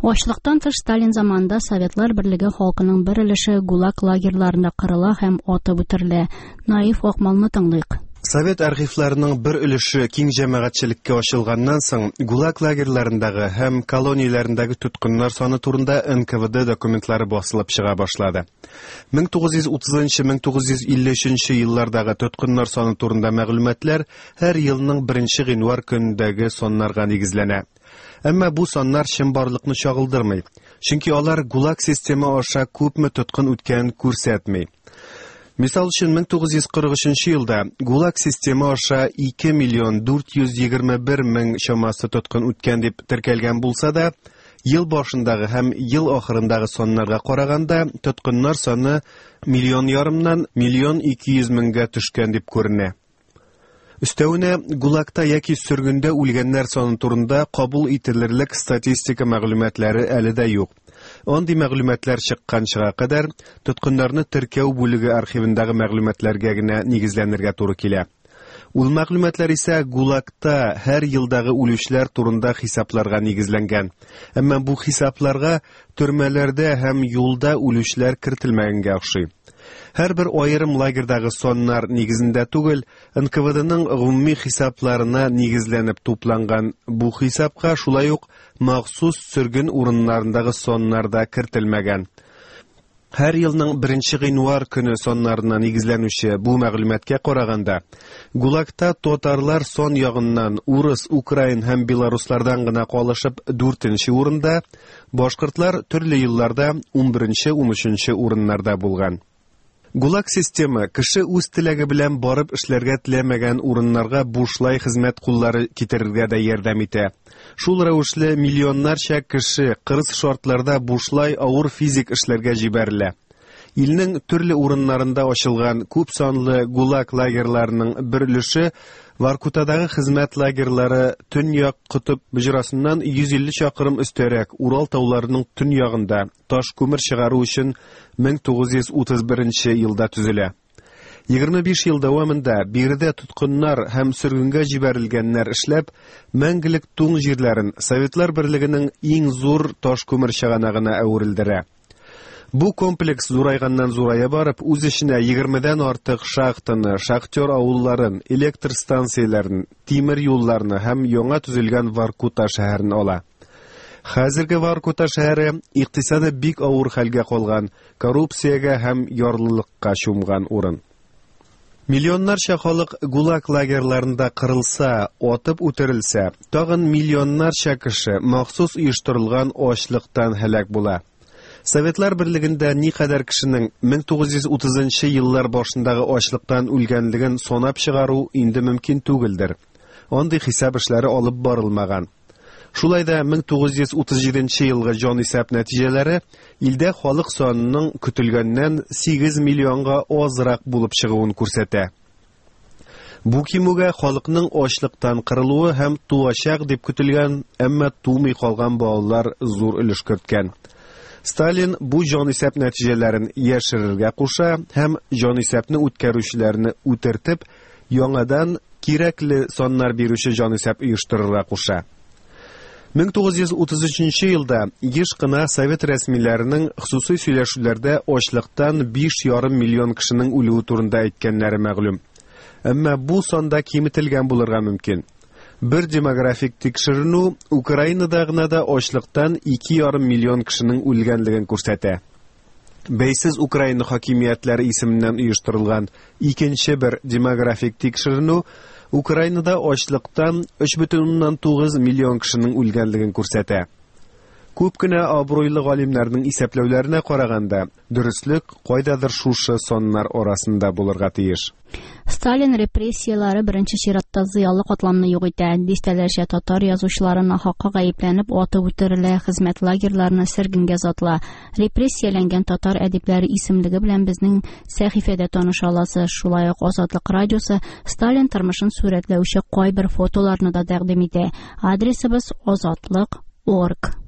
Ачлыктан тыш Сталин заманында Советлар Берлеге халкының бер өлеше ГУЛАГ лагерьларында кырыла һәм атып үтерелә. Наиф Акмалны тыңлыйк. Совет архивларының бер өлеше киң җәмәгатьчелеккә ачылганнан соң, ГУЛАГ лагерьларындагы һәм колонияләрендәге тоткыннар саны турында НКВД документлары басылып чыга башлады. 1930-1953 еллардагы тоткыннар саны турында мәгълүматлар һәр елның 1 гыйнвар көнендәге саннарга нигезләнә. Әмма бу саннар чынбарлыкны чагылдырмый, чөнки алар ГУЛАГ системы аша күпме тоткын үткәнен күрсәтми. Мисал өчен, 1943 елда ГУЛАГ системы аша 2 миллион 421 мең чамасы тоткын үткән дип теркәлгән булса да, ел башындагы һәм ел ахырындагы саннарга караганда, тоткыннар саны миллион ярымнан миллион 200 меңгә төшкән дип күренә. Өстәвенә, ГУЛАГта яки сөргендә үлгәннәр саны турында кабул ителерлек статистика мәгълүматлары әле дә юк. Андый мәгълүматлар чыкканчыга кадәр тоткыннарны теркәү бүлеге архивындагы мәгълүматларга генә нигезләнергә туры килә. Ул мәгълүматлар исә ГУЛАГта һәр елдагы үлүчеләр турында хисапларга нигезләнгән. Әмма бу хисапларга төрмәләрдә һәм юлда үлүчеләр кертелмәгәнгә охшый. Һәрбер аерым лагерьдагы саннар нигезендә түгел, НКВДның гомуми хисапларына нигезләнеп тупланган бу хисапка шулай ук махсус сөрген урыннарындагы саннар да кертелмәгән. Һәр елның 1 гыйнвар көне саннарына нигезләнүче бу мәгълүматка караганда, ГУЛАГта татарлар сан ягыннан урыс, украин һәм белоруслардан гына калышып 4нче урында, башкортлар төрле елларда 11-13 урыннарда булган. ГУЛАГ системы кеше үз теләге белән барып эшләргә теләмәгән урыннарга бушлай хезмәт куллары китерергә дә ярдәм итә. Шул рәвешле миллионнарча кеше кырыс шартларда бушлай авыр физик эшләргә җибәрелә. Илнең төрле урыннарында ачылган күп санлы ГУЛАГ лагерьларының бер өлеше Воркутадагы хезмәт лагерьлары Төньяк Котып боҗрасыннан 150 чакрым өстәрәк Урал тауларының төньягында таш күмер чыгару өчен 1931 елда төзелә. 25 ел дәвамында биредә тоткыннар һәм сөргенгә җибәрелгәннәр эшләп, мәңгелек туң җирләрен Советлар Берлегенең иң зур таш күмер чыганагына әверелдерә. Бу комплекс зурайганнан зурая барып, үз эченә 20дән артык шахтаны, шахтер авылларын, электр станцияләрен, тимер юлларны һәм яңа төзелгән Воркута шәһәрен ала. Хәзерге Воркута шәһәре икътисады бик авыр хәлгә калган, коррупциягә һәм ярлылыкка чумган урын. Миллионнарча халык ГУЛАГ лагерьларында кырылса, атып үтерелсә, тагын миллионнарча кеше махсус оештырылган ачлыктан һәлак була. Советлар Берлегендә никадәр кешенең 1930 еллар башындагы ачлыктан үлгәнлеген санап чыгару инде мөмкин түгелдер. Андый хисап эшләре алып барылмаган. Шулай да 1937 елгы җанисәп нәтиҗәләре илдә халык санының көтелгәннән 8 миллионга азрак булып чыгуын күрсәтә. Бу кимүгә халыкның ачлыктан кырылуы һәм туачак дип көтелгән, әмма тумый калган балалар зур өлеш керткән. Сталин бу җанисәп нәтиҗәләрен яшерергә куша һәм җанисәпне үткәрүчеләрне үтертеп, яңадан кирәкле саннар бирүче җанисәп оештырырга куша. 1933 елда еш кына совет рәсмиләренең хосусый сөйләшүләрдә ачлыктан 5,5 миллион кешенең үлүе турында әйткәннәре мәгълүм. Әмма бу санда киметелгән булырга мөмкин. Бер демографик тикшеренү Украинада гына да ачлыктан 2,5 миллион кешенең үлгәнлеген күрсәтә. Бәйсез Украина хакимиятләре исеменнән оештырылган икенче бер демографик тикшеренү Украинада ачлыктан 3,9 миллион кешенең үлгәнлеген күрсәтә. Күп кенә абруйлы галимнәрнең исәпләүләренә караганда, дөреслек кайдадыр шушы саннар арасында булырга тиеш. Сталин репрессияләре беренче чиратта зыялы катламны юк итә. Дистәләрчә татар язучылары нахакка гаепләнеп атып үтерелә, хезмәт лагерьларына сөргенгә озатыла. Репрессияләнгән татар әдипләре исемлеге белән безнең сәхифәдә таныша аласыз. Шулай ук Азатлык радиосы Сталин тормышын сурәтләүче кайбер фотоларны да тәкъдим итә. Адресыбыз азатлык.орг.